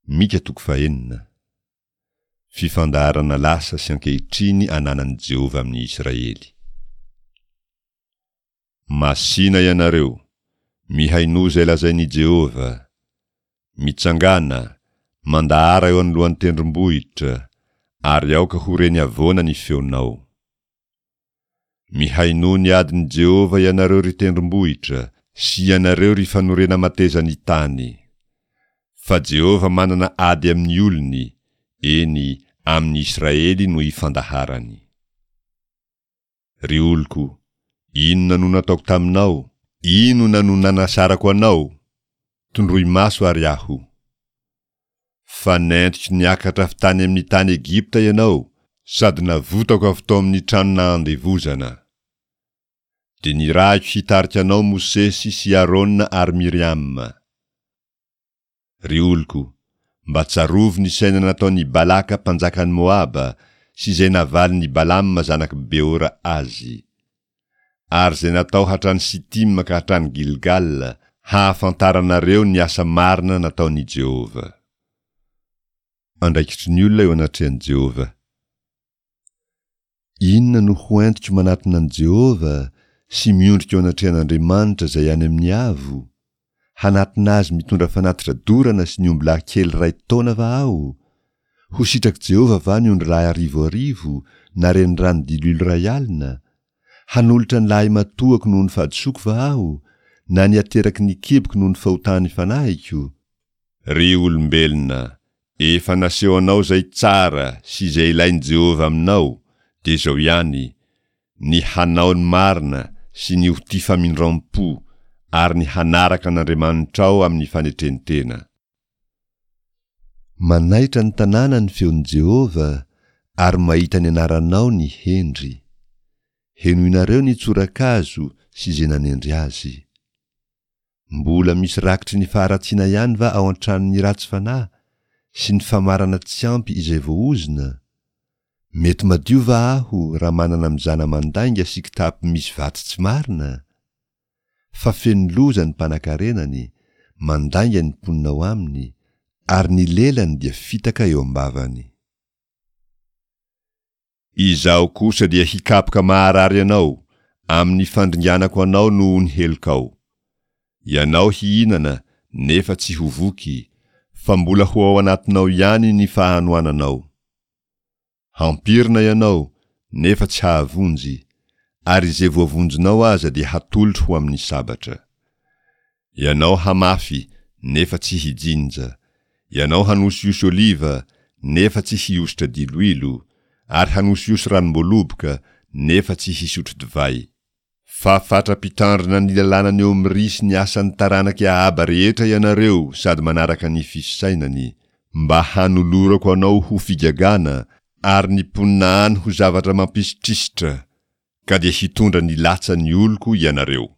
Mika toko fahenina. Fifandaharana lasa sy ankehitriny ananan'i Jehovah amin'ny Israely. Masìna ianareo, mihainoa izay lazain'i Jehovah. Mitsangàna, mandahara eo anoloan'ny tendrombohitra, ary aoka ho reny havoana ny feonao. Mihainoa ny adin'i Jehovah ianareo ry tendrombohitra, sy ianareo ry fanorena-matezan'ny tany. Fa Jehovah manana ady amin'ny olony, eny, amin'ny Israely no ifandaharany. Ry oloko, inona no nataoko taminao? Inona no nanasarako anao? Tondroy maso àry aho. Fa nentiko niakatra avy tany amin'ny tany Egypta ianao, sady navotako avy tao amin'ny trano nahandevozana. Dia nirahiko hitarika anao Mosesy sy Arona ary Miriama. Ry oloko, mba tsarovy ny saina nataon'i Balaka mpanjakan'i Moaba sy izay navalin'i Balama zanak'i Beora azy. Ary izay natao hatrany Sitima ka hatrany Gilgala, hahafantaranareo ny asa marina nataon'i Jehovah. Andraikitry ny olona eo anatrehan'i Jehovah. Inona no ho entiko manatona an'i Jehovah sy miondrika eo anatrehan'Andriamanitra izay any amin'ny avo? Hanatona azy mitondra fanatitra dorana sy ny ombilahy kely iray taona va aho? Ho sitrak'i Jehovah va ny ondrilahy arivoarivo na renirano diloilo iray alina? Hanolotra ny lahimatoako noho ny fahadisoako va aho, na ny ateraky ny kiboko noho ny fahotan'ny fanahiko? Ry olombelona, efa naseho anao izay tsara sy izay ilain'i Jehovah aminao, dia izao ihany, Ny hanao ny marina sy ny ho tia famindram-po ary ny hanaraka an'Andriamanitrao amin'ny fanetren-tena. Manaitra ny tanàna ny feon'i Jehovah, ary mahita ny anaranao ny hendry. Henoinareo ny tsorakazo sy izay nanendry azy. Mbola misy rakitry ny faharatsiana ihany va ao an-tranon'ny ratsy fanahy, sy ny famarana tsy ampy izay voaozona? Mety madio va aho raha manana mizana mandainga sy kitapo misy vatsy tsy marina? Fa feno loza ny mpanankarenany, mandainga ny mponina ao aminy, ary ny lelany dia fitaka eo am-bavany. Izaho kosa dia hikapoka maharary anao, amin'ny fandringanako anao noho ny helokao. Ianao hihinana, nefa tsy ho voky, fa mbola ho ao anatinao ihany ny fahanoananao. Hampirina ianao, nefa tsy hahavonjy, ary izay voavonjinao aza dia hatolotro ho amin'ny sabatra. Ianao hamafy, nefa tsy hijinja. Ianao hanosihosy oliva, nefa tsy hihosotra diloilo, ary hanosihosy ranom-boaloboka, nefa tsy hisotro divay. Fa fatra-pitandrina ny lalànan'i Omry sy ny asan'ny taranak'i Ahaba rehetra ianareo sady manaraka ny fisainany, mba hanolorako anao ho figagana, ary ny mponina any ho zavatra mampisitrisitra, ka dia hitondra ny latsan'ny oloko ianareo.